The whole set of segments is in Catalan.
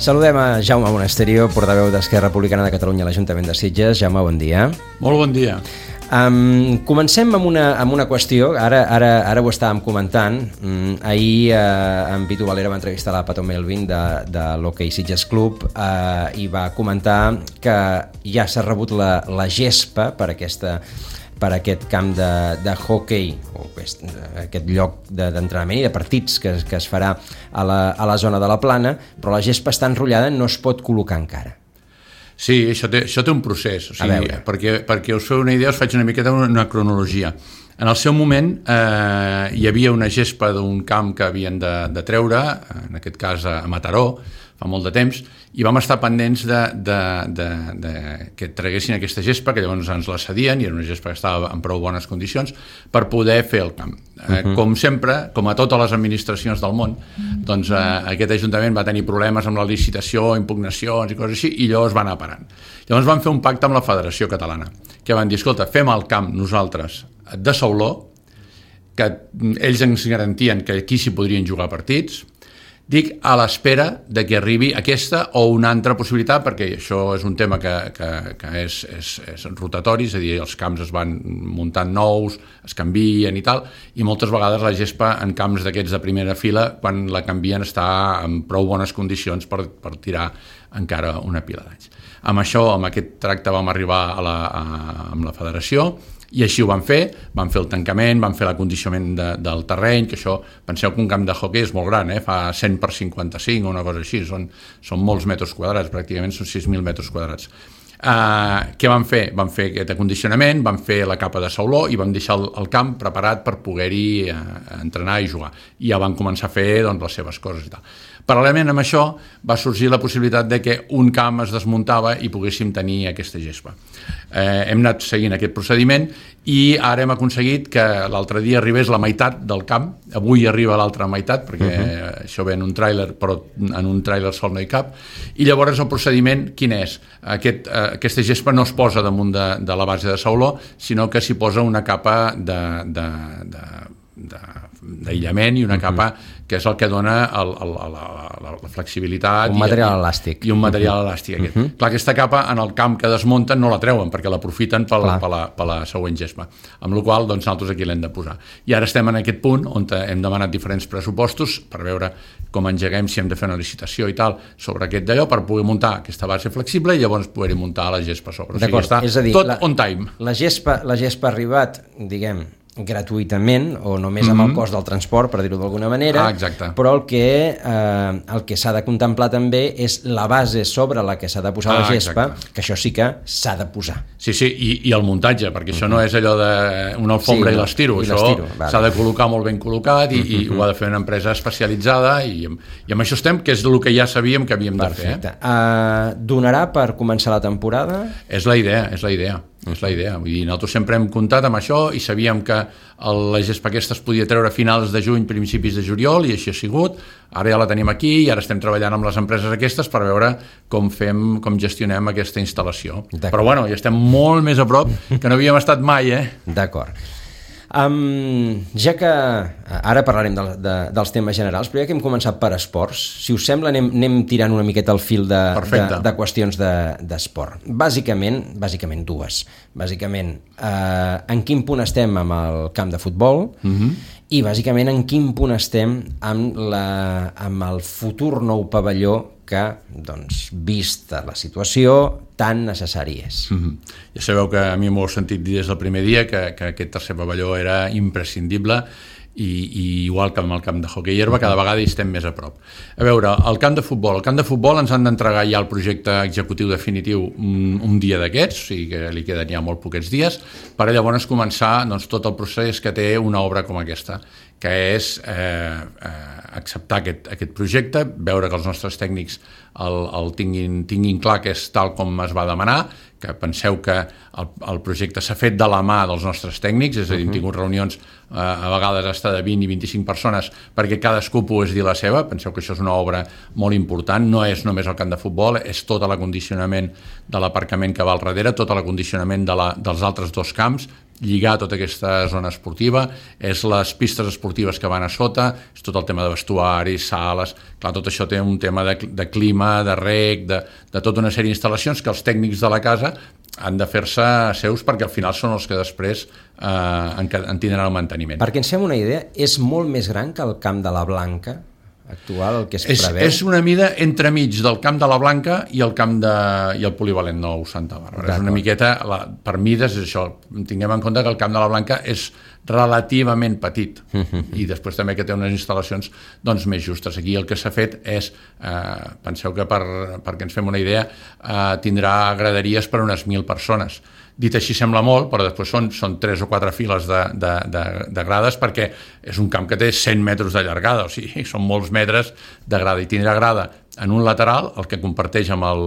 Saludem a Jaume Monasterio, portaveu d'Esquerra Republicana de Catalunya a l'Ajuntament de Sitges. Jaume, bon dia. Molt bon dia. Comencem amb una qüestió, ara ho estàvem comentant. Ahir en Pitu Valera va entrevistar la Pato Melvin de l'Hockey Sitges Club i va comentar que ja s'ha rebut la gespa per aquest camp de hockey, o aquest lloc d'entrenament i de partits que es farà a la zona de la Plana, però la gespa està enrotllada, no es pot col·locar encara. Sí, això té un procés. O sigui, perquè us feu una idea, us faig una miqueta una cronologia. En el seu moment hi havia una gespa d'un camp que havien de treure, en aquest cas a Mataró, fa molt de temps, i vam estar pendents que traguessin aquesta gespa, que llavors ens la cedien, i era una gespa que estava en prou bones condicions, per poder fer el camp. Com sempre, com a totes les administracions del món, doncs aquest Ajuntament va tenir problemes amb la licitació, impugnacions i coses així, i llavors va anar parant. Llavors van fer un pacte amb la Federació Catalana, que van dir, escolta, fem el camp nosaltres de Sauló, que ells ens garantien que aquí s'hi podrien jugar partits, dic a l'espera de que arribi aquesta o una altra possibilitat, perquè això és un tema que és rotatori, és a dir, els camps es van muntant nous, es canvien i tal, i moltes vegades la gespa en camps d'aquests de primera fila, quan la canvien, està en prou bones condicions per tirar encara una pila d'anys. Amb això, amb aquest tracte vam arribar amb la federació, i així ho van fer el tancament, van fer l'acondicionament del terreny, que això, penseu que un camp de hoquei és molt gran, fa 100 per 55 o una cosa així, són molts metres quadrats, pràcticament són 6.000 metres quadrats. Què van fer? Van fer aquest acondicionament, van fer la capa de sauló i van deixar el camp preparat per poder-hi entrenar i jugar. I ja van començar a fer les seves coses i tal. Paral·lelament amb això va sorgir la possibilitat de que un camp es desmuntava i poguéssim tenir aquesta gespa. Hem anat seguint aquest procediment i ara hem aconseguit que l'altre dia arribés la meitat del camp. Avui arriba l'altra meitat, perquè això ve en un tràiler, però en un tràiler sol no hi cap. I llavors el procediment quin és? Aquesta gespa no es posa damunt de la base de sauló, sinó que s'hi posa una capa d'aïllament i una capa que és el que dona la flexibilitat. Un material elàstic. I un material elàstic. Clar, aquesta capa en el camp que desmunten no la treuen perquè l'aprofiten per la següent gespa. Amb la qual cosa nosaltres aquí l'hem de posar. I ara estem en aquest punt on hem demanat diferents pressupostos per veure com engeguem, si hem de fer una licitació i tal sobre aquest d'allò per poder muntar aquesta base flexible i llavors poder muntar la gespa sobre. O sigui, està tot on time. La gespa ha arribat, diguem, gratuïtament o només amb el cost del transport, per dir-ho d'alguna manera, però el que s'ha de contemplar també és la base sobre la que s'ha de posar la gespa, que això sí que s'ha de posar. Sí, i el muntatge, perquè això no és allò d'una alfombra i l'estiro, això s'ha de col·locar molt ben col·locat i ho ha de fer una empresa especialitzada i amb això estem, que és el que ja sabíem que havíem de fer. Donarà per començar la temporada? És la idea. És la idea. Vull dir, nosaltres sempre hem comptat amb això i sabíem que la gespa aquesta es podia treure a finals de juny, principis de juliol, i així ha sigut. Ara ja la tenim aquí i ara estem treballant amb les empreses aquestes per veure com gestionem aquesta instal·lació. Però bueno, ja estem molt més a prop que no havíem estat mai, D'acord. Ja que ara parlarem dels temes generals, però ja que hem començat per esports, si us sembla anem tirant una miqueta el fil de qüestions d'esport. Bàsicament dues. Bàsicament, en quin punt estem amb el camp de futbol i bàsicament en quin punt estem amb el futur nou pavelló que, vista la situació, tan necessari és. Ja sabeu que a mi m'ho heu sentit dir des del primer dia que aquest tercer pavelló era imprescindible i igual que amb el camp de hoquei herba cada vegada hi estem més a prop. A veure, el camp de futbol ens han d'entregar ja el projecte executiu definitiu un dia d'aquests, o sigui que li queden ja molt poquets dies, per llavors començar tot el procés que té una obra com aquesta, que és acceptar aquest projecte, veure que els nostres tècnics el tinguin clar que és tal com es va demanar, que penseu que el projecte s'ha fet de la mà dels nostres tècnics, és a dir, hem tingut reunions a vegades hasta de 20 i 25 persones perquè cadascú pogués dir la seva. Penseu que això és una obra molt important, no és només el camp de futbol, és tot l'acondicionament de l'aparcament que va al darrere, tot l'acondicionament dels altres dos camps, lligar tota aquesta zona esportiva, és les pistes esportives que van a sota, és tot el tema de vestuari, sales... Clar, tot això té un tema de clima, de reg, de tota una sèrie d'instal·lacions que els tècnics de la casa han de fer-se seus perquè al final són els que després en tindran el manteniment. Perquè ens fem una idea, és molt més gran que el Camp de la Blanca actual, el que es preveu? És una mida entremig del Camp de la Blanca i el polivalent nou Santa Bàrbara. És una miqueta, per mides és això, tinguem en compte que el Camp de la Blanca és relativament petit i després també que té unes instal·lacions doncs més justes. Aquí el que s'ha fet és, penseu que perquè ens fem una idea, tindrà graderies per unes 1.000 persones. Dit així sembla molt, però després són 3 o 4 files de grades perquè és un camp que té 100 metres de llargada, o sigui, són molts metres de grada, i tindrà grada en un lateral, el que comparteix amb el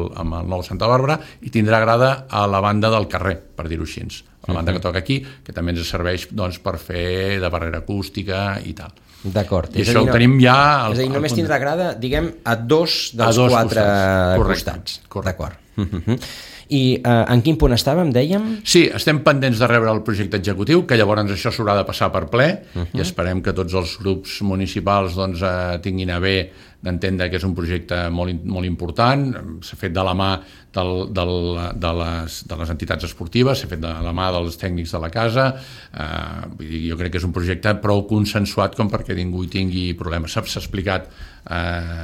nou Santa Bàrbara, i tindrà grada a la banda del carrer, per dir-ho així, a la banda que toca aquí, que també ens serveix doncs, per fer de barrera acústica i tal. D'acord. I això ho tenim ja... És a dir, només tindrà grada, diguem, a 2 dels 4 costats. D'acord. I en quin punt estàvem, dèiem? Sí, estem pendents de rebre el projecte executiu, que llavors això s'haurà de passar per ple, i esperem que tots els grups municipals doncs, tinguin a bé d'entendre que és un projecte molt important. S'ha fet de la mà de les entitats esportives, s'ha fet de la mà dels tècnics de la casa. Jo crec que és un projecte prou consensuat com perquè ningú hi tingui problemes. S'ha explicat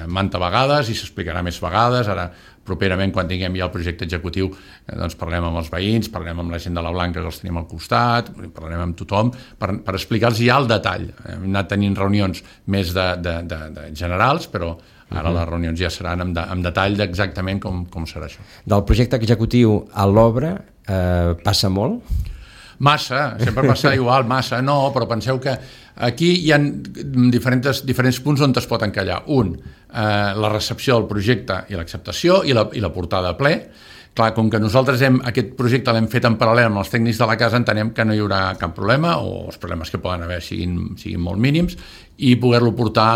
manta vegades i s'explicarà més vegades. Ara, properament, quan tinguem ja el projecte executiu, doncs parlem amb els veïns, parlem amb la gent de la Blanca que els tenim al costat, parlem amb tothom per explicar-los ja el detall. Hem anat tenint reunions més de generals, però ara les reunions ja seran amb detall d'exactament com serà això. Del projecte executiu a l'obra passa molt? Massa, sempre passa igual, massa, no, però penseu que aquí hi ha diferents punts on es pot encallar. Un, la recepció del projecte i l'acceptació i la portada a ple. Clar, com que nosaltres aquest projecte l'hem fet en paral·lel amb els tècnics de la casa, entenem que no hi haurà cap problema, o els problemes que poden haver siguin molt mínims, i poder-lo portar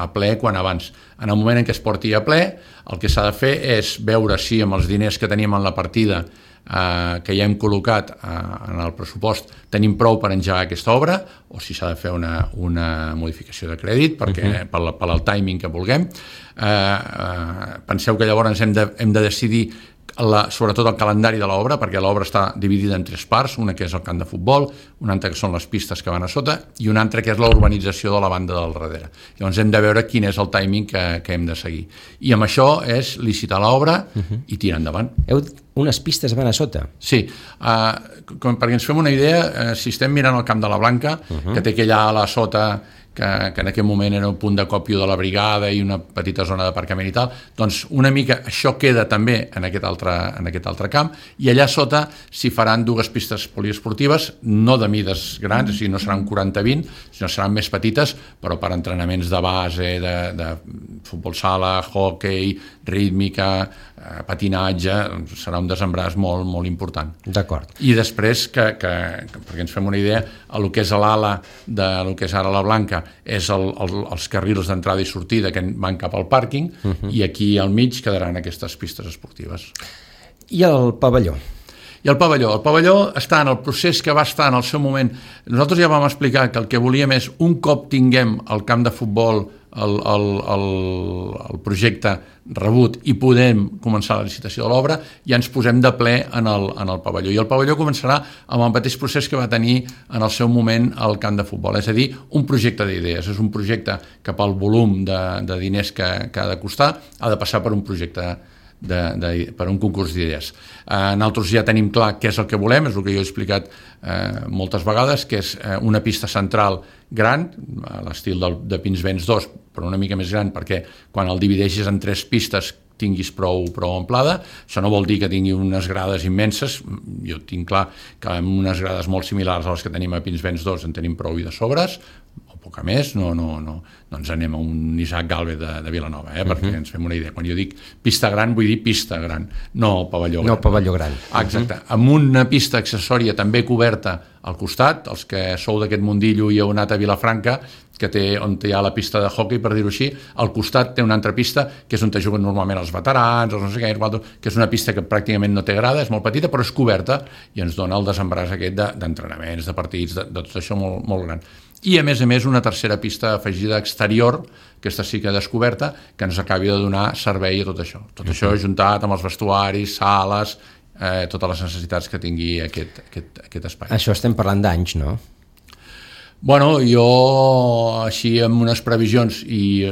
a ple quan abans. En el moment en què es porti a ple, el que s'ha de fer és veure si amb els diners que tenim en la partida que ja hem col·locat en el pressupost tenim prou per engegar aquesta obra, o si s'ha de fer una modificació de crèdit perquè pel timing que vulguem. Penseu que llavors hem de decidir sobretot el calendari de l'obra, perquè l'obra està dividida en 3 parts, una que és el camp de futbol, una altra que són les pistes que van a sota i una altra que és la urbanització de la banda del darrere. Llavors hem de veure quin és el timing que hem de seguir. I amb això és licitar l'obra i tirar endavant. Unes pistes van a sota? Sí, perquè ens fem una idea, si estem mirant el Camp de la Blanca, que té aquella ala a sota que en aquell moment era un punt d'acòpio de la brigada i una petita zona d'aparcament i tal, doncs una mica això queda també en aquest altre camp, i allà sota s'hi faran 2 pistes poliesportives, no de mides grans, o sigui, no seran 40-20, sinó seran més petites, però per entrenaments de base, de futbol sala, hockey, rítmica, patinatge, serà un desembràs molt, molt important. D'acord. I després, perquè ens fem una idea, el que és l'ala del que és ara la Blanca és els carrils d'entrada i sortida que van cap al pàrquing, i aquí al mig quedaran aquestes pistes esportives. I el pavelló? I el pavelló està en el procés que va estar en el seu moment. Nosaltres ja vam explicar que el que volíem és, un cop tinguem el camp de futbol, el projecte rebut i podem començar la licitació de l'obra, ja ens posem de ple en el pavelló. I el pavelló començarà amb el mateix procés que va tenir en el seu moment el camp de futbol, és a dir, un projecte d'idees. És un projecte que pel volum de diners que ha de costar ha de passar per un projecte per un concurs d'idees. Nosaltres ja tenim clar què és el que volem, és el que jo he explicat moltes vegades, que és una pista central gran, a l'estil de Pinsbens 2, però una mica més gran, perquè quan el divideixis en 3 pistes tinguis prou amplada. Això no vol dir que tingui unes grades immenses, jo tinc clar que amb unes grades molt similars a les que tenim a Pinsbens 2 en tenim prou i de sobres, o poca més, no ens anem a un Isaac Galvez de Vilanova, perquè ens fem una idea. Quan jo dic pista gran, vull dir pista gran, no pavelló gran. No pavelló gran. Exacte. Amb una pista accessòria també coberta al costat, els que sou d'aquest mundillo i heu anat a Vilafranca, on hi ha la pista de hoquei, per dir-ho així, al costat té una altra pista, que és on juguen normalment els veterans, els no sé què, que és una pista que pràcticament no té grada, és molt petita, però és coberta i ens dona el desembràs aquest d'entrenaments, de partits, de tot això molt, molt gran. I a més una tercera pista afegida exterior, aquesta sí que descoberta, que ens acabi de donar servei a tot això. Tot això juntat amb els vestuaris, sales, totes les necessitats que tingui aquest espai. Això estem parlant d'anys, no? Bueno, jo així amb unes previsions i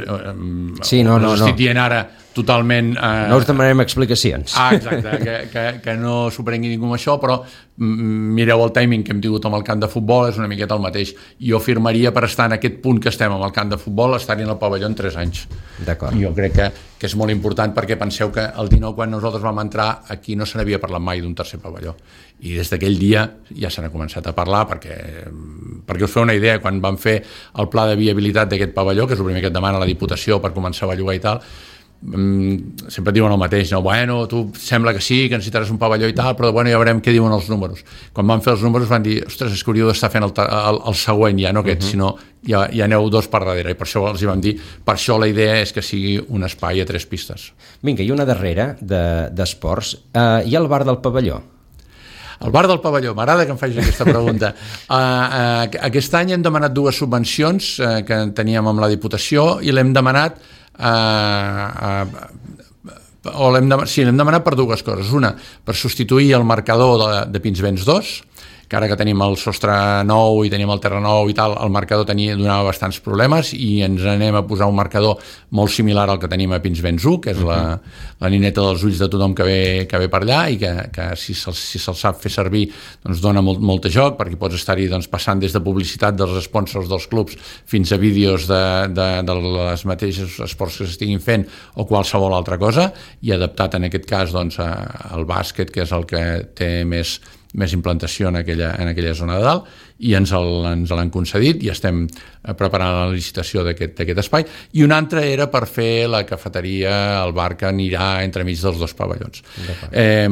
no estic dient ara totalment... No us demanarem explicacions. Exacte, que no s'ho prengui ningú amb això, però mireu el timing que hem tingut amb el camp de futbol, és una miqueta el mateix. Jo firmaria per estar en aquest punt que estem amb el camp de futbol, estar-hi en el pavelló en 3 anys. D'acord. Jo crec que és molt important, perquè penseu que el 19, quan nosaltres vam entrar, aquí no se n'havia parlat mai d'un tercer pavelló. I des d'aquell dia ja se n'ha començat a parlar, perquè us feu una idea, quan vam fer el pla de viabilitat d'aquest pavelló, que és el primer que et demana la Diputació per començar a bellugar i tal, sempre diuen el mateix, no? Bueno, tu sembla que sí, que necessitaràs un pavelló i tal, però bueno, ja veurem què diuen els números. Quan van fer els números van dir, ostres, és que hauríeu d'estar fent el següent, ja no aquest, sinó ja aneu 2 per darrere, i per això els hi vam dir, per això la idea és que sigui un espai a 3 pistes. Vinga, i una darrera d'esports, hi ha el bar del pavelló? El bar del pavelló, m'agrada que em facis aquesta pregunta. Aquest any hem demanat 2 subvencions que teníem amb la Diputació i l'hem demanat l'hem demanat per 2 coses. Una, per substituir el marcador de Pinsbens 2, que ara que tenim el sostre nou i tenim el terra nou i tal, el marcador donava bastants problemes i ens anem a posar un marcador molt similar al que tenim a Pinsbens 1, que és la nineta dels ulls de tothom que ve per allà i que si se'l sap fer servir doncs dona molt de joc, perquè pots estar-hi passant des de publicitat dels sponsors dels clubs fins a vídeos de les mateixes esports que s'estiguin fent o qualsevol altra cosa, i adaptat en aquest cas al bàsquet, que és el que té més implantació en aquella zona de dalt, i ens l'han concedit i estem preparant la licitació d'aquest espai. I un altre era per fer la cafeteria, el bar que anirà entremig dels 2 pavellons.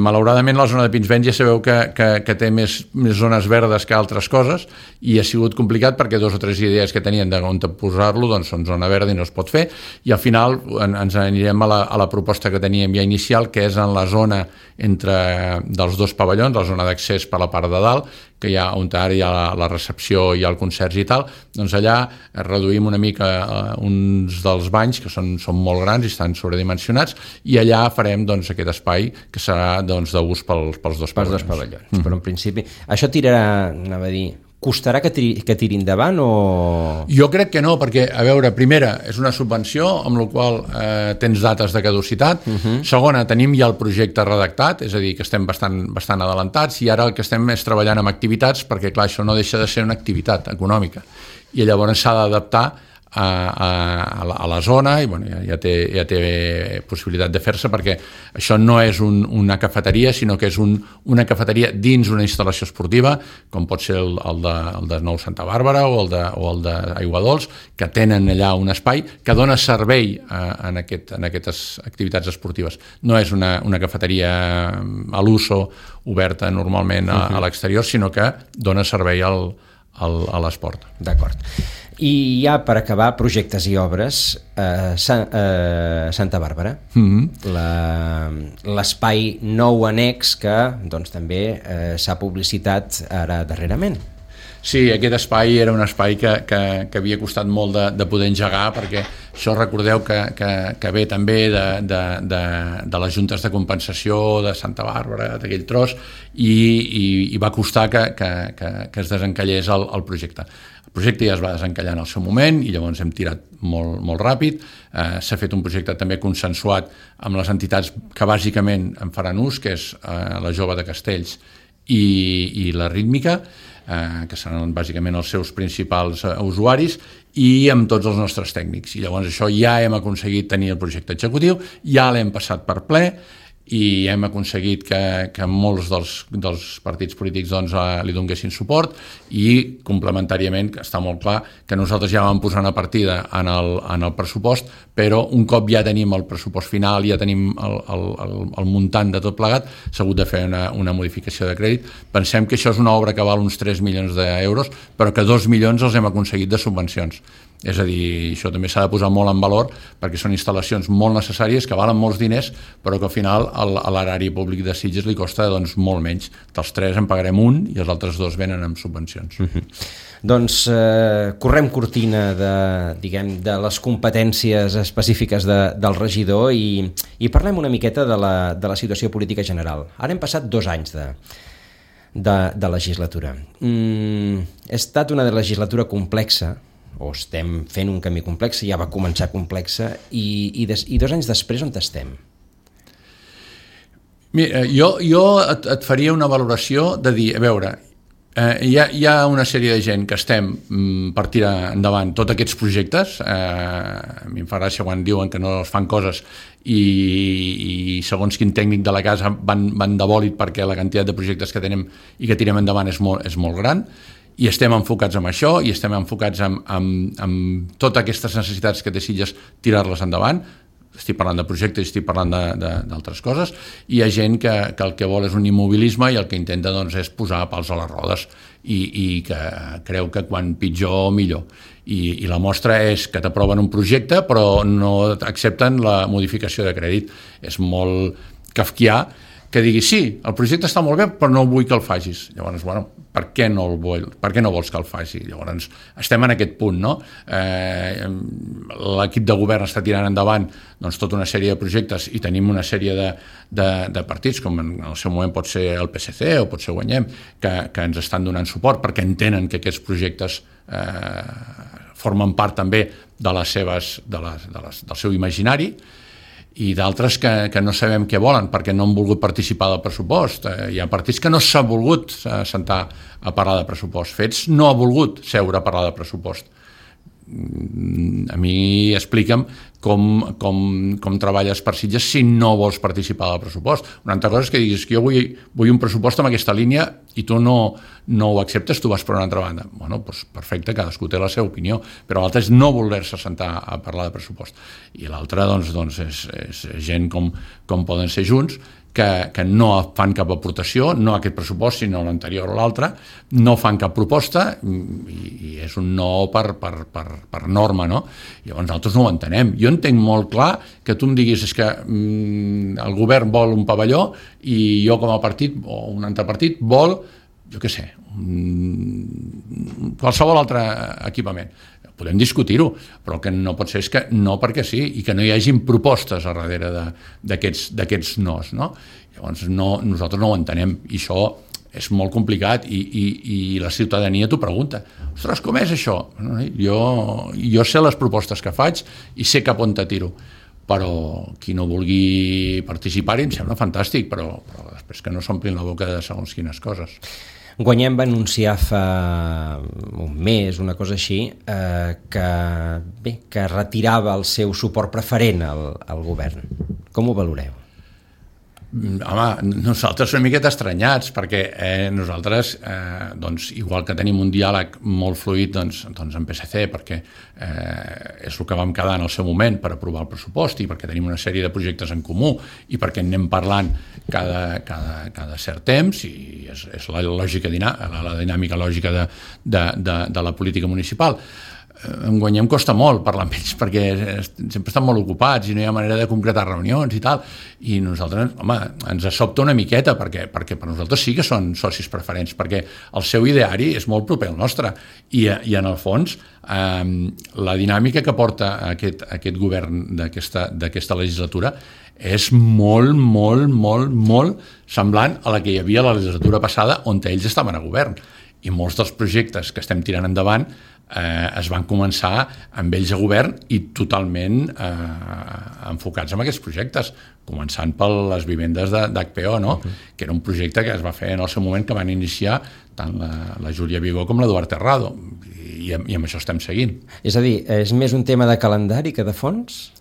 Malauradament la zona de Pinsbens ja sabeu que té més zones verdes que altres coses, i ha sigut complicat perquè 2 o 3 idees que tenien d'on posar-lo són zona verda i no es pot fer, i al final ens anirem a la proposta que teníem ja inicial, que és en la zona dels 2 pavellons, la zona d'accés per la part de dalt, que on ara hi ha la recepció i el concerts i tal, doncs allà reduïm una mica uns dels banys, que són molt grans i estan sobredimensionats, i allà farem aquest espai que serà d'ús pels 2 pavellons. Però en principi, això tirarà, anava a dir, costarà que tiri endavant o...? Jo crec que no, perquè, a veure, primera, és una subvenció, amb la qual tens dates de caducitat. Segona, tenim ja el projecte redactat, és a dir, que estem bastant adelantats, i ara el que estem és treballant amb activitats, perquè, clar, això no deixa de ser una activitat econòmica, i llavors s'ha d'adaptar a la zona, i bueno, ja té possibilitat de fer-se, perquè això no és una cafeteria, sinó que és una cafeteria dins una instal·lació esportiva, com pot ser el de Nou Santa Bàrbara o el d'Aiguadols, que tenen allà un espai que dona servei en aquestes activitats esportives. No és una cafeteria a l'uso oberta normalment a l'exterior, sinó que dona servei a l'esport. D'acord. I ja per acabar, projectes i obres, Santa Bàrbara, l'espai nou annex que també s'ha publicitat ara darrerament. Sí, aquest espai era un espai que havia costat molt de poder engegar, perquè això recordeu que ve també de les juntes de compensació de Santa Bàrbara, d'aquell tros, i va costar que es desencallés el projecte. El projecte ja es va desencallar en el seu moment i llavors hem tirat molt ràpid. S'ha fet un projecte també consensuat amb les entitats que bàsicament en faran ús, que és la Jove de Castells i la Rítmica, que seran bàsicament els seus principals usuaris, i amb tots els nostres tècnics. I llavors això ja hem aconseguit tenir el projecte executiu, ja l'hem passat per ple, i hem aconseguit que molts dels partits polítics doncs, li donguessin suport, i complementàriament està molt clar que nosaltres ja vam posar una partida en el pressupost, però un cop ja tenim el pressupost final, ja tenim el muntant de tot plegat, s'ha hagut de fer una modificació de crèdit. Pensem que això és una obra que val uns 3 milions d'euros, però que 2 milions els hem aconseguit de subvencions. És a dir, això també s'ha de posar molt en valor, perquè són instal·lacions molt necessàries que valen molts diners, però que al final a l'erari públic de Sitges li costa doncs, molt menys. Dels 3 en pagarem 1 i els altres 2 venen amb subvencions. Doncs correm cortina de les competències específiques del regidor i parlem una miqueta de la situació política general. Ara hem passat 2 anys de legislatura. Ha estat una legislatura complexa, o estem fent un camí complex, ja va començar complexa, i 2 anys després on estem? Mira, jo et faria una valoració de dir, a veure, hi ha una sèrie de gent que estem per tirar endavant tots aquests projectes. A mi em fa gràcia quan diuen que no es fan coses i segons quin tècnic de la casa van de bòlit perquè la quantitat de projectes que tenim i que tirem endavant és molt gran, i estem enfocats en això, i estem enfocats en totes aquestes necessitats que té Sitges, tirar-les endavant. Estic parlant de projectes, estic parlant d'altres coses, i hi ha gent que el que vol és un immobilisme i el que intenta doncs, és posar pals a les rodes i que creu que quan pitjor millor. I la mostra és que t'aproven un projecte però no accepten la modificació de crèdit. És molt kafkià que digui, sí, el projecte està molt bé, però no vull que el facis. Llavors, bueno, per què no vols que el faci? Llavors, estem en aquest punt, no? L'equip de govern està tirant endavant doncs, tota una sèrie de projectes i tenim una sèrie de partits, com en el seu moment pot ser el PSC o pot ser Guanyem, que ens estan donant suport perquè entenen que aquests projectes formen part també del seu imaginari, i d'altres que no sabem què volen perquè no han volgut participar del pressupost. Hi ha partits que no s'ha volgut sentar a parlar de pressupost. Fets no ha volgut seure a parlar de pressupost. A mi explica'm com treballes per Sitges si no vols participar del pressupost. Una altra cosa és que diguis que jo vull un pressupost amb aquesta línia i tu no ho acceptes, tu vas per una altra banda. Bueno, doncs perfecte, cadascú té la seva opinió, però l'altre és no voler-se sentar a parlar de pressupost. I l'altre doncs, és gent com poden ser Junts, que no fan cap aportació, no aquest pressupost, sinó l'anterior o l'altre, no fan cap proposta i és un no per norma, no? Llavors nosaltres no ho entenem. Jo entenc molt clar que tu em diguis és que el govern vol un pavelló i jo com a partit o un altre partit vol, jo què sé, qualsevol altre equipament. Podem discutir-ho, però el que no pot ser és que no perquè sí, i que no hi hagin propostes a darrere d'aquests nos, no? Llavors nosaltres no ho entenem, i això és molt complicat, i la ciutadania t'ho pregunta. Ostres, com és això? Jo sé les propostes que faig i sé cap on te tiro, però qui no vulgui participar-hi em sembla fantàstic, però després que no s'omplin la boca de segons quines coses. Guanyem va anunciar fa un mes, una cosa així, que retirava el seu suport preferent al govern. Com ho valoreu? Home, nosaltres una miqueta estranyats, perquè nosaltres, doncs, igual que tenim un diàleg molt fluid doncs amb PSC, perquè és el que vam quedar en el seu moment per aprovar el pressupost i perquè tenim una sèrie de projectes en comú i perquè anem parlant cada cert temps, i és la dinàmica lògica de la política municipal. En Guanyem costa molt parlar amb ells perquè sempre estan molt ocupats i no hi ha manera de concretar reunions i tal, i nosaltres, home, ens sobta una miqueta perquè per nosaltres sí que són socis preferents, perquè el seu ideari és molt proper al nostre i en el fons la dinàmica que porta aquest govern d'aquesta legislatura és molt, molt, molt, molt semblant a la que hi havia a la legislatura passada on ells estaven a govern, i molts dels projectes que estem tirant endavant es van començar amb ells a govern i totalment enfocats en aquests projectes, començant per les vivendes d'HPO, no? Que era un projecte que es va fer en el seu moment, que van iniciar tant la Júlia Vigó com l'Eduard Terrado, i amb això estem seguint. És a dir, és més un tema de calendari que de fons?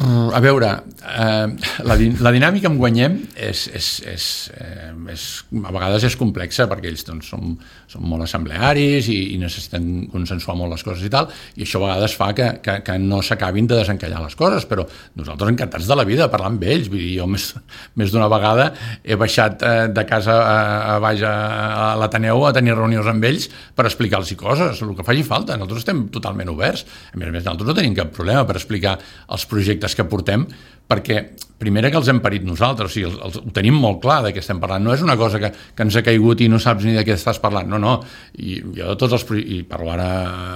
A veure, la dinàmica amb Guanyem a vegades és complexa perquè ells doncs, són molt assemblearis i necessiten consensuar molt les coses i tal, i això a vegades fa que no s'acabin de desencallar les coses, però nosaltres encantats de la vida de parlar amb ells. Vull dir, jo més d'una vegada he baixat de casa a baix a l'Ateneu a tenir reunions amb ells per explicar-los coses, el que faci falta. Nosaltres estem totalment oberts. A més, nosaltres no tenim cap problema per explicar els projectes que portem, perquè primera que els hem parit nosaltres, o sigui, ho tenim molt clar de què estem parlant, no és una cosa que ens ha caigut i no saps ni de què estàs parlant, no, i jo de tots i parlo ara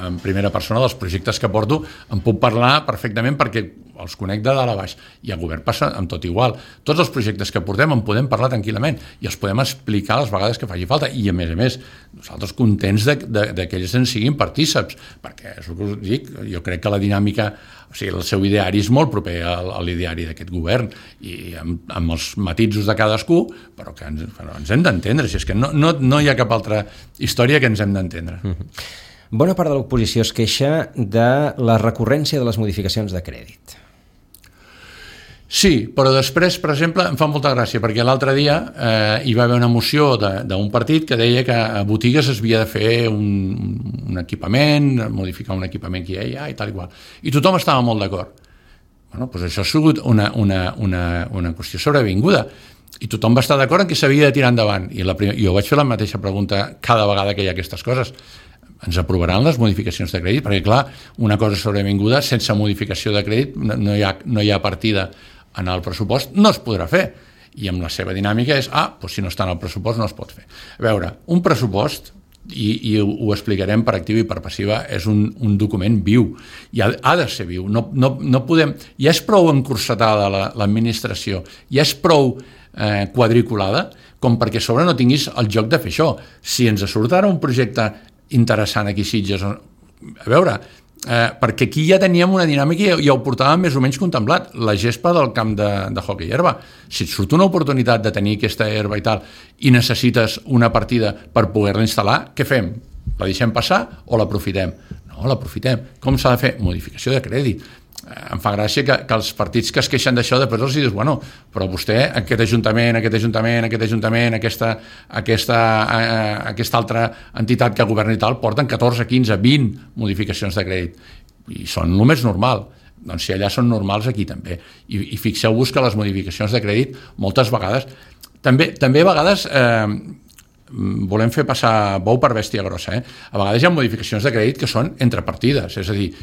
en primera persona dels projectes que porto, en puc parlar perfectament perquè els conec de dalt a baix, i el govern passa amb tot igual. Tots els projectes que portem en podem parlar tranquil·lament i els podem explicar les vegades que faci falta, i a més nosaltres contents de que ells en siguin partíceps, perquè és el que us dic, jo crec que la dinàmica, o sigui, el seu ideari és molt proper a l'ideari d'aquest govern, i amb els matisos de cadascú, però que ens hem d'entendre, si és que no hi ha cap altra història que ens hem d'entendre. Bona part de l'oposició es queixa de la recurrència de les modificacions de crèdit. Sí, però després, per exemple, em fa molta gràcia, perquè l'altre dia hi va haver una moció d'un partit que deia que a botigues es havia de fer un equipament, modificar un equipament que hi ha i tal i qual. I tothom estava molt d'acord. Bueno, doncs això ha sigut una qüestió sobrevinguda. I tothom va estar d'acord en que s'havia de tirar endavant. I jo vaig fer la mateixa pregunta cada vegada que hi ha aquestes coses. Ens aprovaran les modificacions de crèdit? Perquè, clar, una cosa sobrevinguda, sense modificació de crèdit, no hi ha partida en el pressupost, no es podrà fer. I amb la seva dinàmica és, doncs si no està en el pressupost no es pot fer. A veure, un pressupost, i ho explicarem per activa i per passiva, és un document viu, i ha de ser viu. No podem, ja és prou encursetada l'administració, ja és prou quadriculada, com perquè a sobre no tinguis el joc de fer això. Si ens surt ara un projecte interessant aquí a Sitges, a veure, perquè aquí ja teníem una dinàmica i ja ho portàvem més o menys contemplat, la gespa del camp de hoquei herba. Si et surt una oportunitat de tenir aquesta herba i tal i necessites una partida per poder-la instal·lar, què fem? La deixem passar o l'aprofitem? No, l'aprofitem. Com s'ha de fer? Modificació de crèdit. Em fa gràcia que els partits que es queixen d'això després els dius, bueno, però vostè, aquest ajuntament, aquesta altra entitat que governa i tal, porten 14, 15, 20 modificacions de crèdit i són el més normal. Doncs si allà són normals, aquí també. I fixeu-vos que les modificacions de crèdit moltes vegades, també a vegades volem fer passar bou per bèstia grossa, a vegades hi ha modificacions de crèdit que són entre partides, és a dir,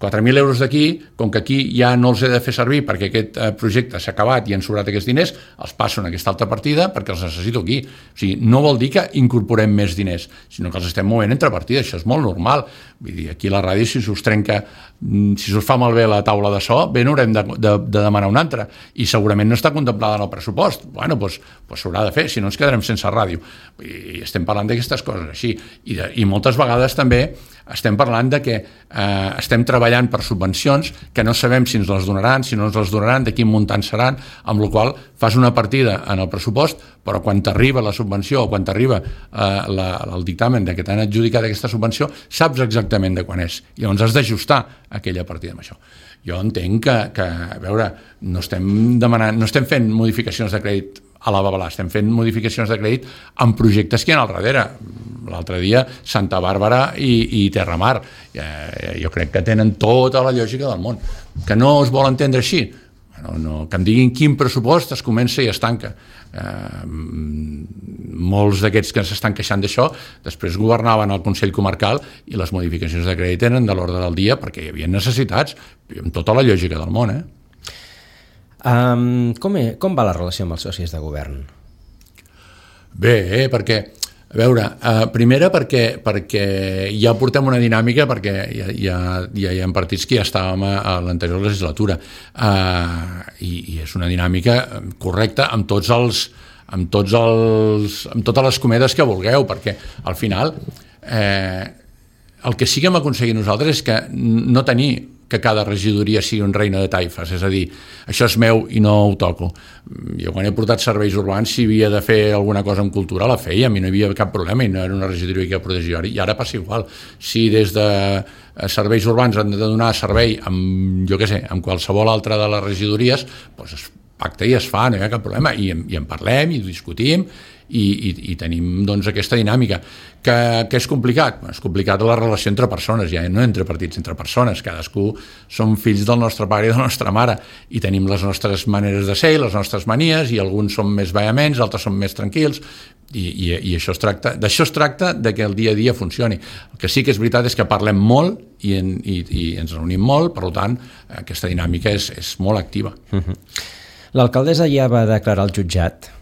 4.000 euros d'aquí, com que aquí ja no els he de fer servir perquè aquest projecte s'ha acabat i han sobrat aquests diners, els passo en aquesta altra partida perquè els necessito aquí. O sigui, no vol dir que incorporem més diners, sinó que els estem movent entre partides, això és molt normal. Vull dir, aquí a la ràdio, si us trenca, si us fa malbé la taula de so, bé, n'haurem de demanar una altra, i segurament no està contemplada en el pressupost. Bueno, doncs s'haurà de fer, si no ens quedarem sense ràdio. I estem parlant d'aquestes coses així. I moltes vegades també estem parlant de que estem treballant per subvencions que no sabem si ens les donaran, si no ens les donaran, de quin muntant seran, amb la qual fas una partida en el pressupost, però quan t'arriba la subvenció o quan t'arriba el dictamen de que t'han adjudicat aquesta subvenció, saps exactament de quan és. I llavors has d'ajustar aquella partida amb això. Jo entenc que a veure, no estem fent modificacions de crèdit a la babalà, estem fent modificacions de crèdit en projectes que hi ha al darrere. L'altre dia, Santa Bàrbara i Terramar. Jo crec que tenen tota la lògica del món. Que no es vol entendre així? No, que em diguin quin pressupost es comença i es tanca. Molts d'aquests que s'estan queixant d'això després governaven el Consell Comarcal i les modificacions de crèdit eren de l'ordre del dia perquè hi havia necessitats, amb tota la lògica del món. Com va la relació amb els socis de govern? Bé, perquè a veure, primera perquè ja portem una dinàmica, perquè ja hi ha partits que ja estàvem a l'anterior legislatura, i és una dinàmica correcta amb totes les cometes que vulgueu, perquè al final el que sí que hem aconseguit nosaltres és que no tenir que cada regidoria sigui un reino de taifes, és a dir, això és meu i no ho toco. Jo quan he portat serveis urbans, si havia de fer alguna cosa en cultura, la feia, a mi no hi havia cap problema i no era una regidoria que protegia. I ara passa igual. Si des de serveis urbans han de donar servei amb, jo què sé, amb qualsevol altra de les regidories, doncs es pacta i es fa, no hi ha cap problema, i en parlem i discutim i tenim doncs aquesta dinàmica que és complicat. És complicat la relació entre persones, ja no entre partits, entre persones, cadascú som fills del nostre pare i de la nostra mare i tenim les nostres maneres de ser i les nostres manies, i alguns som més vehements, altres som més tranquils, i això d'això es tracta, de que el dia a dia funcioni. El que sí que és veritat és que parlem molt i ens reunim molt, per tant aquesta dinàmica és molt activa. L'alcaldessa ja va declarar al jutjat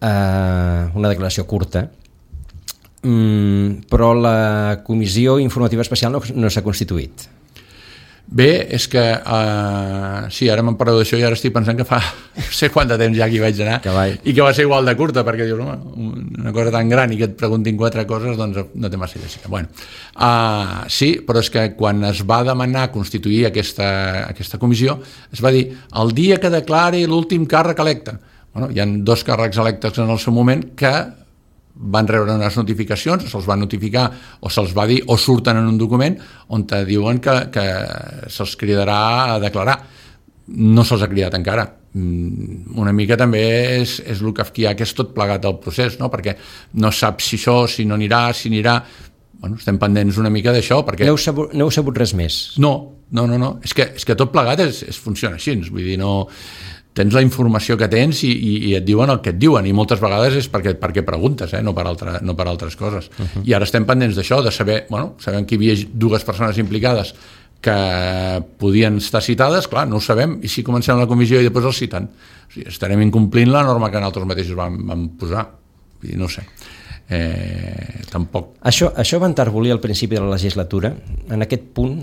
una declaració curta, però la comissió informativa especial no s'ha constituït. Bé, és que sí, ara m'han parlat d'això i ara estic pensant que fa no sé quant de temps ja que hi vaig anar i que va ser igual de curta, perquè dius, una cosa tan gran i que et preguntin 4 coses, doncs no té massa lògica. Bueno, sí, però és que quan es va demanar constituir aquesta comissió, es va dir el dia que declari l'últim càrrec electe. Bueno, hi ha 2 càrrecs electes en el seu moment que van rebre unes notificacions, se'ls va notificar o se'ls va dir, o surten en un document on te diuen que se'ls cridarà a declarar. No se'ls ha cridat encara. Una mica també és el kafkià que és tot plegat del procés, no? Perquè no saps si això, si no anirà, si anirà. Bueno, estem pendents una mica d'això. Perquè... No heu sabut res més? No. És que tot plegat funciona així. Vull dir, no... Tens la informació que tens i et diuen el que et diuen, i moltes vegades és perquè preguntes, no per altres coses. I ara estem pendents d'això, de saber, sabem que hi havia 2 persones implicades que podien estar citades, clar, no ho sabem, i si comencem la comissió i després els citen. O sigui, estarem incomplint la norma que nosaltres mateixos vam posar. I no ho sé. Tampoc. Això va enterbolir al principi de la legislatura? En aquest punt...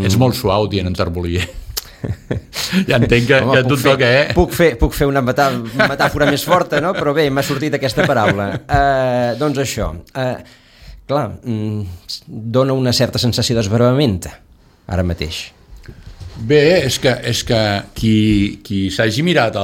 Ets molt suau dient enterbolir. Ja entenc que a tu et toca, Puc fer una metàfora més forta, no? Però bé, m'ha sortit aquesta paraula. Doncs això, clar, dona una certa sensació d'esbravament ara mateix. Bé, és que qui s'hagi mirat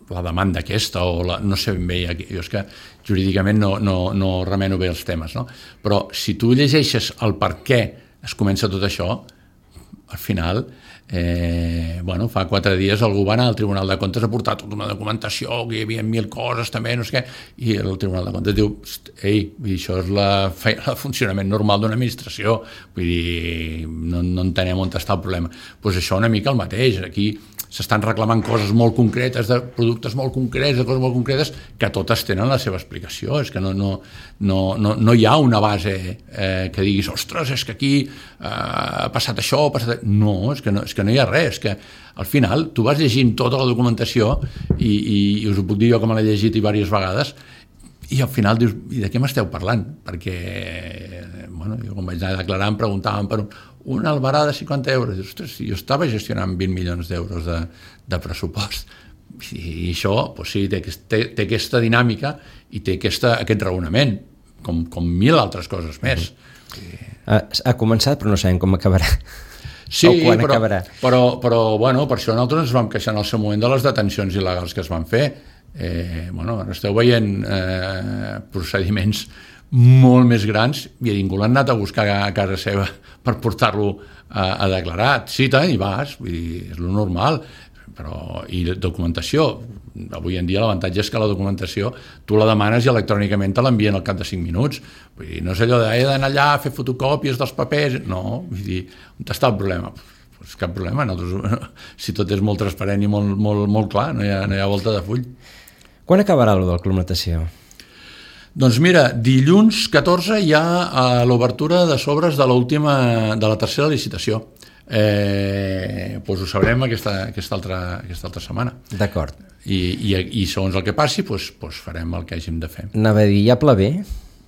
la demanda aquesta, o no sé ben bé, jo és que jurídicament no remeno bé els temes, no? Però si tu llegeixes el per què es comença tot això, al final, fa 4 dies algú va anar al Tribunal de Comptes a portar tota una documentació, que hi havia 1000 coses també, no sé què, i el Tribunal de Comptes diu, això és el funcionament normal d'una administració, vull dir, no entenem on està el problema. Doncs això una mica el mateix, aquí s'estan reclamant coses molt concretes, de productes molt concrets, de coses molt concretes, que totes tenen la seva explicació. És que no hi ha una base que diguis, ostres, és que aquí ha passat això, No, és que no hi ha res. És que al final tu vas llegint tota la documentació i us ho puc dir jo que me l'he llegit diverses vegades, i al final dius, i de què m'esteu parlant? Perquè, jo quan vaig anar a declarar em preguntaven per una albarà de 50 euros. Ostres, jo estava gestionant 20 milions d'euros de pressupost. I això, sí, té aquesta dinàmica i té aquest raonament, com 1000 altres coses més. Ha començat, però no sabem com acabarà. Sí, però per això nosaltres ens vam queixar en el seu moment de les detencions il·legals que es van fer. Ara esteu veient procediments molt més grans i ningú l'han anat a buscar a casa seva per portar-lo a declarar. Citen i vas, vull dir, és lo normal. I documentació, avui en dia l'avantatge és que la documentació tu la demanes i electrònicament te l'envien al cap de 5 minuts. Vull dir, no és allò he d'anar allà a fer fotocòpies dels papers, no, vull dir, on està el problema? Pues cap problema, si tot és molt transparent i molt clar, no hi ha volta de full. Quan acabarà el del Club Natació? Doncs mira, dilluns 14 hi ha l'obertura de sobres de la tercera licitació. Ho sabrem aquesta altra setmana. D'acord. I segons el que passi farem el que hàgim de fer. Anava a dir, hi ha pla B?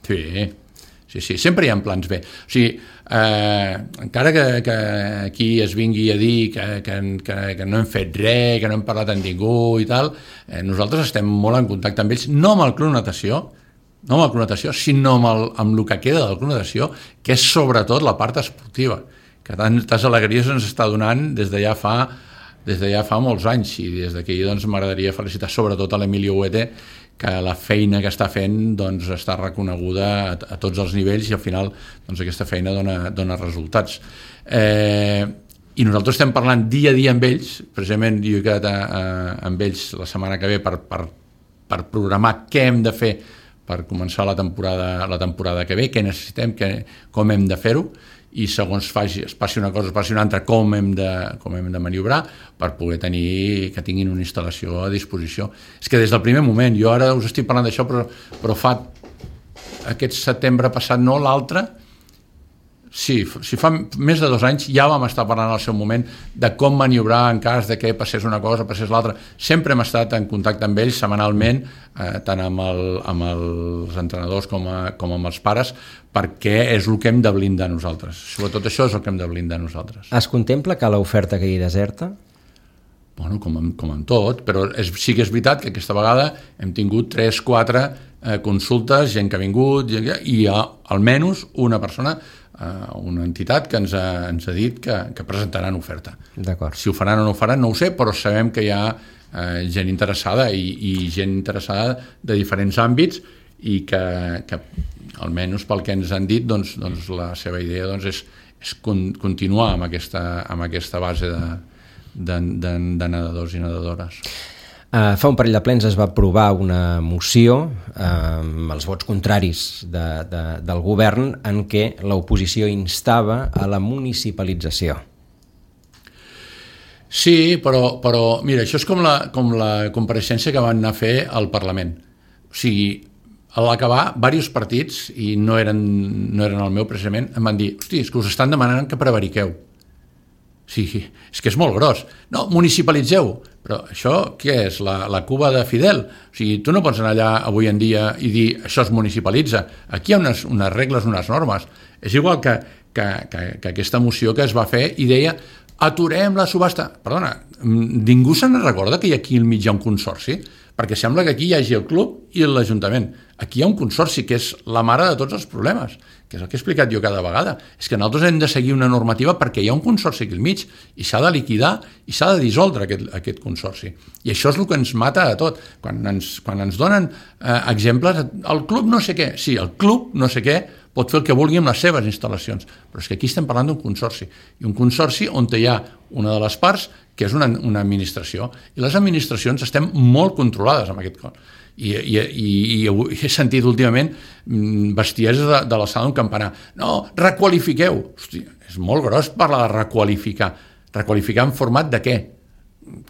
Sí, sempre hi ha plans B. O sigui, encara que aquí es vingui a dir que no hem fet res, que no hem parlat amb ningú i tal, nosaltres estem molt en contacte amb ells, no amb el Club Natació, no amb la connotació, sinó amb el que queda de la connotació, que és sobretot la part esportiva, que tantes alegries ens està donant des de ja fa molts anys, i des d'aquí doncs, m'agradaria felicitar sobretot a l'Emilio Huete, que la feina que està fent doncs, està reconeguda a tots els nivells, i al final doncs, aquesta feina dona resultats. I nosaltres estem parlant dia a dia amb ells, precisament jo he quedat amb ells la setmana que ve per programar què hem de fer per començar la temporada que ve, què necessitem, com hem de fer-ho, i segons es passi una cosa, es passi una altra, com hem de maniobrar per poder que tinguin una instal·lació a disposició. És que des del primer moment, jo ara us estic parlant d'això, però fa aquest setembre passat, no, l'altre, sí, fa més de 2 anys ja vam estar parlant al seu moment de com maniobrar en cas de que passés una cosa, passés l'altra. Sempre hem estat en contacte amb ells setmanalment, tant amb els entrenadors com amb els pares, perquè és el que hem de blindar nosaltres. Sobretot això és el que hem de blindar nosaltres. Es contempla que l'oferta quedi deserta? Bueno, com en tot, però sí que és veritat que aquesta vegada hem tingut 3-4 consultes, gent que ha vingut, i hi ha almenys una persona, una entitat que ens ha dit que presentaran oferta. D'acord. Si ho faran o no ho faran no ho sé, però sabem que hi ha gent interessada i gent interessada de diferents àmbits, i que almenys pel que ens han dit doncs la seva idea és continuar amb aquesta base de nedadors i nedadores. Fa un parell de plens es va aprovar una moció amb els vots contraris del govern en què l'oposició instava a la municipalització. Sí, però mira, això és com la compareixença que van anar a fer al Parlament. O sigui, a l'acabar, diversos partits, i no eren el meu precisament, em van dir, hosti, és que us estan demanant que prevariqueu. Sí, és que és molt gros. No, municipalitzeu. Però això què és? La Cuba de Fidel? O sigui, tu no pots anar allà avui en dia i dir això es municipalitza. Aquí hi ha unes regles, unes normes. És igual que aquesta moció que es va fer i deia aturem la subhasta. Perdona, ningú se'n recorda que aquí al mig hi ha un consorci? Perquè sembla que aquí hi hagi el club i l'Ajuntament. Aquí hi ha un consorci que és la mare de tots els problemes, que és el que he explicat jo cada vegada. És que nosaltres hem de seguir una normativa perquè hi ha un consorci aquí al mig i s'ha de liquidar i s'ha de dissoldre aquest consorci. I això és el que ens mata a tot. Quan ens donen exemples, el club no sé què, sí, el club no sé què pot fer el que vulgui amb les seves instal·lacions, però és que aquí estem parlant d'un consorci, i un consorci on hi ha una de les parts que és una administració, i les administracions estem molt controlades amb aquest cos. I he sentit últimament bestieses de l'alçada d'un campanar. No, requalifiqueu. Hosti, és molt gros parlar de requalificar. Requalificar en format de què?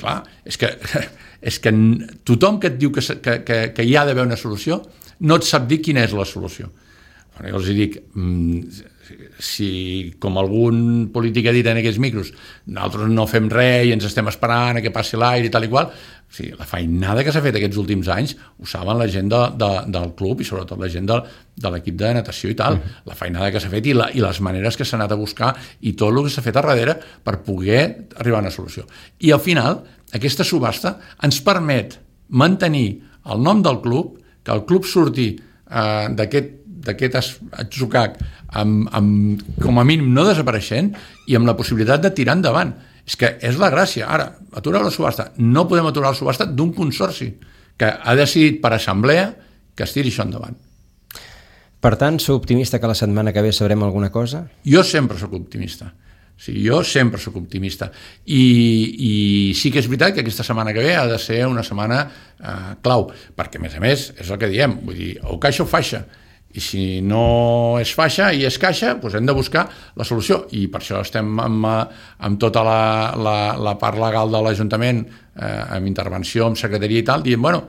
Clar, és que tothom que et diu que hi ha d'haver una solució no et sap dir quina és la solució. Jo els dic, si com algun polític ha dit en aquests micros, nosaltres no fem res i ens estem esperant a que passi l'aire i tal i qual, sí, la feinada que s'ha fet aquests últims anys ho saben la gent del club i sobretot la gent de l'equip de natació i tal, la feinada que s'ha fet i les maneres que s'ha anat a buscar i tot el que s'ha fet a darrere per poder arribar a una solució. I al final, aquesta subhasta ens permet mantenir el nom del club, que el club surti d'aquest atzucac com a mínim no desapareixent i amb la possibilitat de tirar endavant. És que és la gràcia. Ara, aturar la subhasta. No podem aturar la subhasta d'un consorci que ha decidit per assemblea que es tiri això endavant. Per tant, sou optimista que la setmana que ve sabrem alguna cosa? Jo sempre sóc optimista. Sí, jo sempre sóc optimista. I sí que és veritat que aquesta setmana que ve ha de ser una setmana clau, perquè a més és el que diem, vull dir, o caixa o faixa. I si no és faixa i és caixa, doncs hem de buscar la solució. I per això estem amb tota la part legal de l'Ajuntament, amb intervenció, amb secretaria i tal, dient, bueno,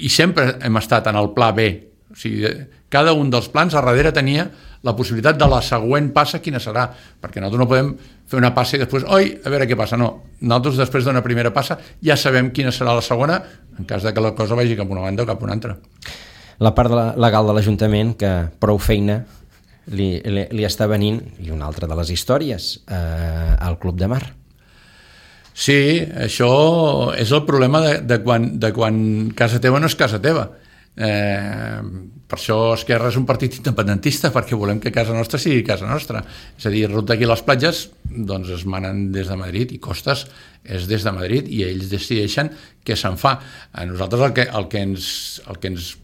i sempre hem estat en el pla B. O sigui, cada un dels plans a darrere tenia la possibilitat de la següent passa quina serà, perquè nosaltres no podem fer una passa i després, oi, a veure què passa. No, nosaltres després d'una primera passa ja sabem quina serà la segona en cas de que la cosa vagi cap una banda o cap una altra. La part legal de l'Ajuntament, que prou feina li està venint, i una altra de les històries, al Club de Mar. Sí, això és el problema de quan casa teva no és casa teva. Per això Esquerra és un partit independentista, perquè volem que casa nostra sigui casa nostra. És a dir, ruta aquí les platges doncs es manen des de Madrid i Costes és des de Madrid i ells decideixen què se'n fa. A nosaltres el que ens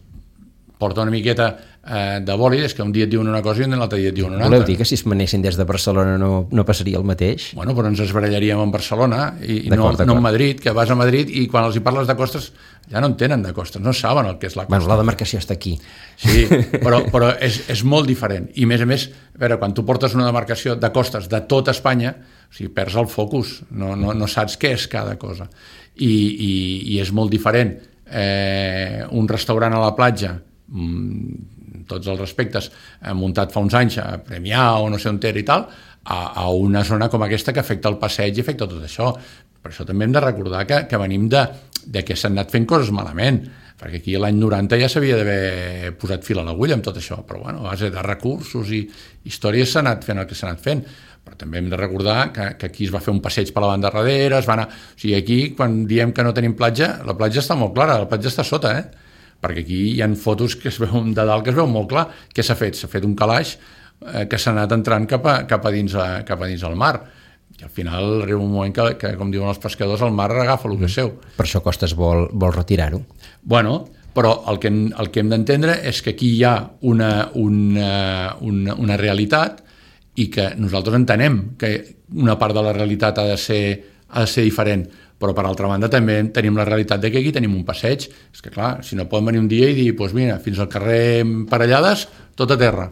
porta una miqueta de bòlid és que un dia et diuen una cosa i l'altre dia et diuen una altra. Voleu dir que si es manessin des de Barcelona no passaria el mateix? Bueno, però ens esbarallaríem en Barcelona i no en Madrid, que vas a Madrid i quan els hi parles de costes ja no en tenen de costes, no saben el que és la costa. Bueno, la demarcació està aquí. Sí, però és molt diferent. I a més, a veure, quan tu portes una demarcació de costes de tota Espanya, o sigui, perds el focus, no saps què és cada cosa. I és molt diferent. Un restaurant a la platja, tots els respectes, muntat fa uns anys a Premià o no sé on era i tal, a una zona com aquesta que afecta el passeig i afecta tot això. Per això també hem de recordar que venim de que s'han anat fent coses malament, perquè aquí l'any 90 ja s'havia d'haver posat fil a l'agulla amb tot això, però bueno, a base de recursos i històries s'ha anat fent el que s'ha anat fent. Però també hem de recordar que aquí es va fer un passeig per la banda darrere, o sigui, aquí quan diem que no tenim platja, la platja està molt clara, la platja està sota, perquè aquí hi ha fotos que es veuen de dalt que es veu molt clar. Què s'ha fet? S'ha fet un calaix que s'ha anat entrant cap a dins el mar. I al final arriba un moment que com diuen els pescadors, el mar agafa el que és seu. Per això Costes vol retirar-ho. Bueno, però el que hem d'entendre és que aquí hi ha una realitat i que nosaltres entenem que una part de la realitat ha de ser diferent, però per altra banda també tenim la realitat de que aquí tenim un passeig. És que clar, si no poden venir un dia i dir doncs mira, fins al carrer Parellades, tot a terra,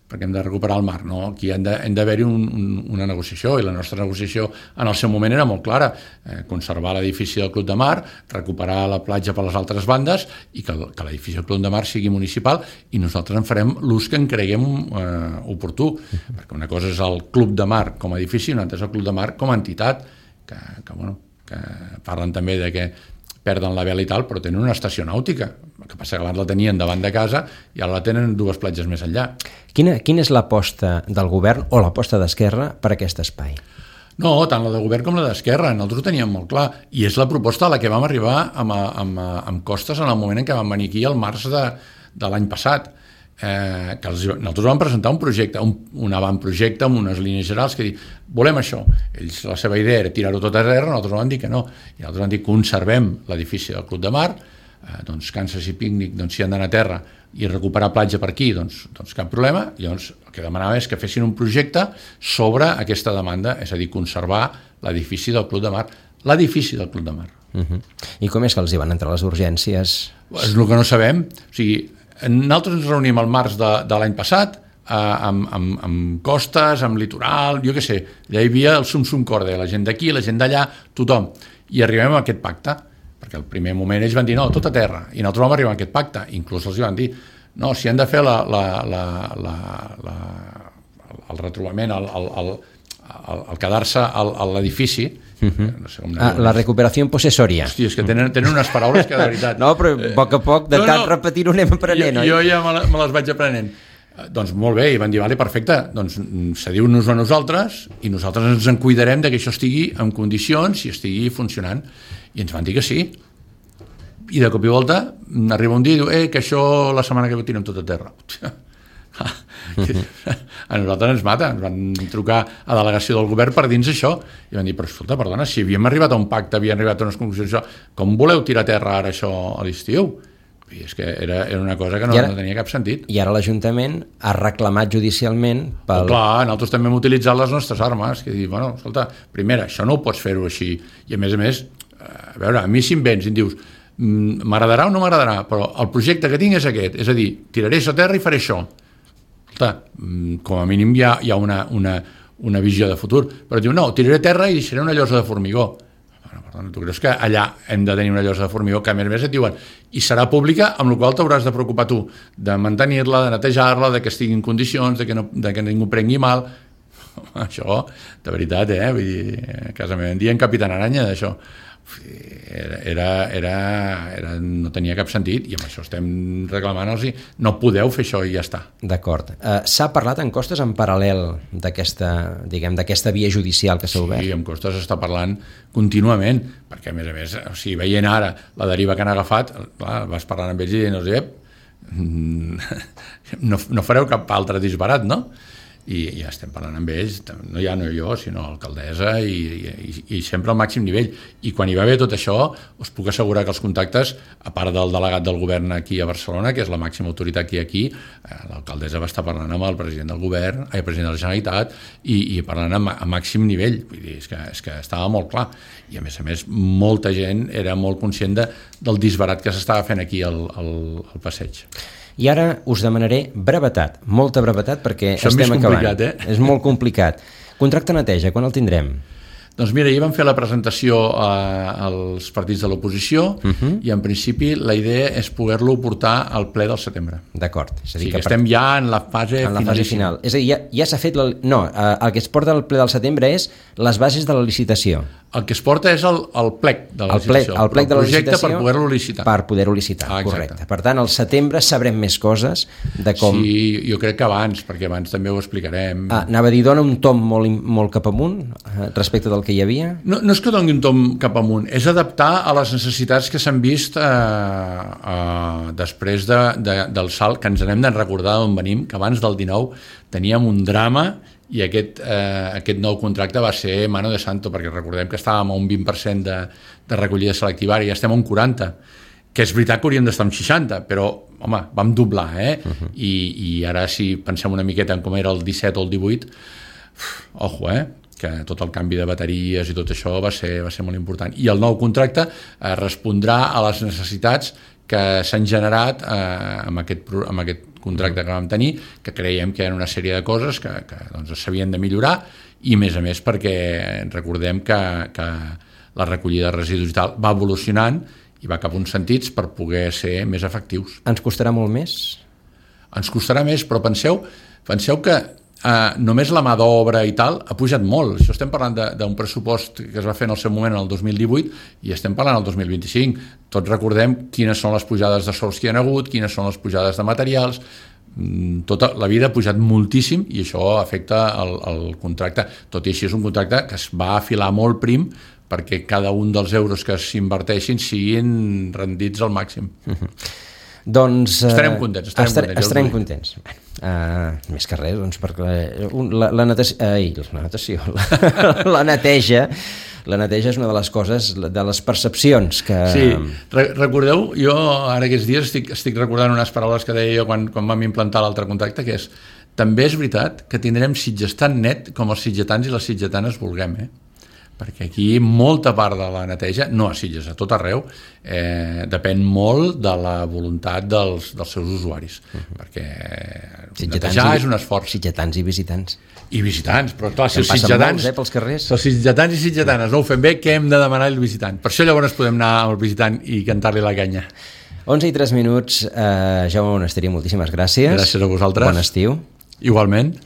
perquè hem de recuperar el mar, no? Aquí hem d'haver-hi una negociació, i la nostra negociació en el seu moment era molt clara, conservar l'edifici del Club de Mar, recuperar la platja per les altres bandes i que l'edifici del Club de Mar sigui municipal, i nosaltres en farem l'ús que en creguem oportú, perquè una cosa és el Club de Mar com a edifici i una altra és el Club de Mar com a entitat, que parlen també de que perden la vela i tal, però tenen una estació nàutica, que passa que abans la tenien davant de casa i ara la tenen 2 platges més enllà. Quina és l'aposta del govern o l'aposta d'Esquerra per aquest espai? No, tant la de govern com la d'Esquerra, nosaltres ho teníem molt clar, i és la proposta a la que vam arribar amb Costes en el moment en què vam venir aquí al març de l'any passat, que nosaltres vam presentar un projecte, un avantprojecte amb unes línies generals que diuen, volem això. Ells, la seva idea era tirar-ho tot a terra, nosaltres vam dir que no, i nosaltres vam dir conservem l'edifici del Club de Mar, doncs Kansas i Pícnic, doncs si han d'anar a terra i recuperar platja per aquí, doncs cap problema. Llavors el que demanava és que fessin un projecte sobre aquesta demanda, és a dir, conservar l'edifici del Club de Mar, l'edifici del Club de Mar. I com és que els hi van entrar les urgències? És el que no sabem, o sigui, nosaltres ens reunim al març de l'any passat amb Costes, amb Litoral, jo què sé, allà hi havia el sum corde, la gent d'aquí, la gent d'allà, tothom, i arribem a aquest pacte, perquè al primer moment ells van dir no, tot a terra, i nosaltres vam arribar a aquest pacte, inclús els van dir no, si han de fer el retrobament, el quedar-se a l'edifici, no sé com la recuperació possessòria. Hosti, és que tenen unes paraules que de veritat... No, però a poc, de tant repetir-ho anem aprenent, oi? Jo ja me les vaig aprenent. Doncs molt bé, i van dir, vale, perfecte, doncs cediu-nos a nosaltres i nosaltres ens en cuidarem de que això estigui en condicions i estigui funcionant. I ens van dir que sí. I de cop i volta arriba un dia i diu, que això la setmana que ve tirem tot a terra. A nosaltres ens mata, ens van trucar a delegació del govern per dins això i van dir, però escolta, perdona, si havíem arribat a un pacte, havíem arribat a unes conclusions, com voleu tirar a terra ara això a l'estiu? I és que era una cosa que no tenia cap sentit. I ara l'Ajuntament ha reclamat judicialment pel... Clar, nosaltres també hem utilitzat les nostres armes, que dir, bueno, escolta, primera, això no ho pots fer-ho així, i a més, a veure, a mi si em vens i em dius m'agradarà o no m'agradarà, però el projecte que tinc és aquest, és a dir, tiraré a terra i faré això. Escolta, com a mínim hi ha una visió de futur, però diu, no, tiraré a terra i deixaré una llosa de formigó. Bueno, perdona, tu creus que allà hem de tenir una llosa de formigó que a més et diuen i serà pública, amb la qual t'hauràs de preocupar tu de mantenir-la, de netejar-la, de que estigui en condicions, de que ningú prengui mal. Això, de veritat, vull dir, a casa meva en dien Capitán Aranya d'això. no tenia cap sentit, i amb això estem reclamant-los, no podeu fer això i ja està. D'acord. S'ha parlat en Costes en paral·lel d'aquesta via judicial que s'ha obert? Sí, en Costes està parlant contínuament, perquè a més, o sigui, veient ara la deriva que han agafat, clar, vas parlant amb ells i no fareu cap altre disbarat, no? I ja estem parlant amb ells, no jo, sinó l'alcaldessa, i sempre al màxim nivell. I quan hi va haver tot això, us puc assegurar que els contactes, a part del delegat del govern aquí a Barcelona, que és la màxima autoritat que hi ha aquí, l'alcaldessa va estar parlant amb el president del govern, el president de la Generalitat, i parlant a màxim nivell. Vull dir, és que estava molt clar. I a més, molta gent era molt conscient del disbarat que s'estava fent aquí al passeig. I ara us demanaré brevetat, molta brevetat, perquè estem acabant. És molt complicat. Contracte neteja, quan el tindrem? Doncs mira, ahir vam fer la presentació als partits de l'oposició i en principi la idea és poder-lo portar al ple del setembre. D'acord. És a dir, que estem ja en la fase final. És a dir, ja s'ha fet... el que es porta al ple del setembre és les bases de la licitació. El que es porta és el plec de la licitació. El plec de la licitació per poder-lo licitar. Per poder-ho licitar, correcte. Per tant, al setembre sabrem més coses de com... Sí, jo crec que abans, perquè abans també ho explicarem. Anava a dir, dona un tom molt cap amunt respecte del que hi havia? No és que doni un tom cap amunt, és adaptar a les necessitats que s'han vist després del salt, que ens n'hem de recordar d'on venim, que abans del 19 teníem un drama i aquest nou contracte va ser mano de santo, perquè recordem que estàvem a un 20% de recollida selectiva, i ja estem a un 40%, que és veritat que hauríem d'estar en 60%, però, home, vam doblar, I ara si pensem una miqueta en com era el 17 o el 18, ojo, que tot el canvi de bateries i tot això va ser molt important. I el nou contracte respondrà a les necessitats que s'han generat amb aquest contracte que vam tenir, que creiem que hi ha una sèrie de coses que doncs, s'havien de millorar, i a més perquè recordem que la recollida de residus i tal va evolucionant i va cap a uns sentits per poder ser més efectius. Ens costarà molt més? Ens costarà més, però penseu que només la mà d'obra i tal ha pujat molt. Això estem parlant d'un pressupost que es va fer en el seu moment en el 2018 i estem parlant el 2025. Tots recordem quines són les pujades de sous que hi ha hagut, quines són les pujades de materials. Tota la vida ha pujat moltíssim i això afecta el contracte. Tot i així és un contracte que es va afilar molt prim perquè cada un dels euros que s'inverteixin siguin rendits al màxim. Doncs estarem contents. Estarem contents. Més que res, doncs, perquè la neteja és una de les coses, de les percepcions que... Sí, recordeu, jo ara aquests dies estic recordant unes paraules que deia jo quan vam implantar l'altre contracte, que és, també és veritat que tindrem Sitges tan net com els sitgetans i les sitgetanes vulguem, perquè aquí molta part de la neteja, no a Sitges, a tot arreu, depèn molt de la voluntat dels seus usuaris, perquè netejar és un esforç. Sitgetans i visitants. I visitants, però clar, si els sitgetans, pels carrers. Si els sitgetans i sitgetanes no ho fem bé, què hem de demanar al visitant? Per això llavors podem anar al visitant i cantar-li la canya. 11:03, Jaume Monasteri, moltíssimes gràcies. Gràcies a vosaltres. Bon estiu. Igualment.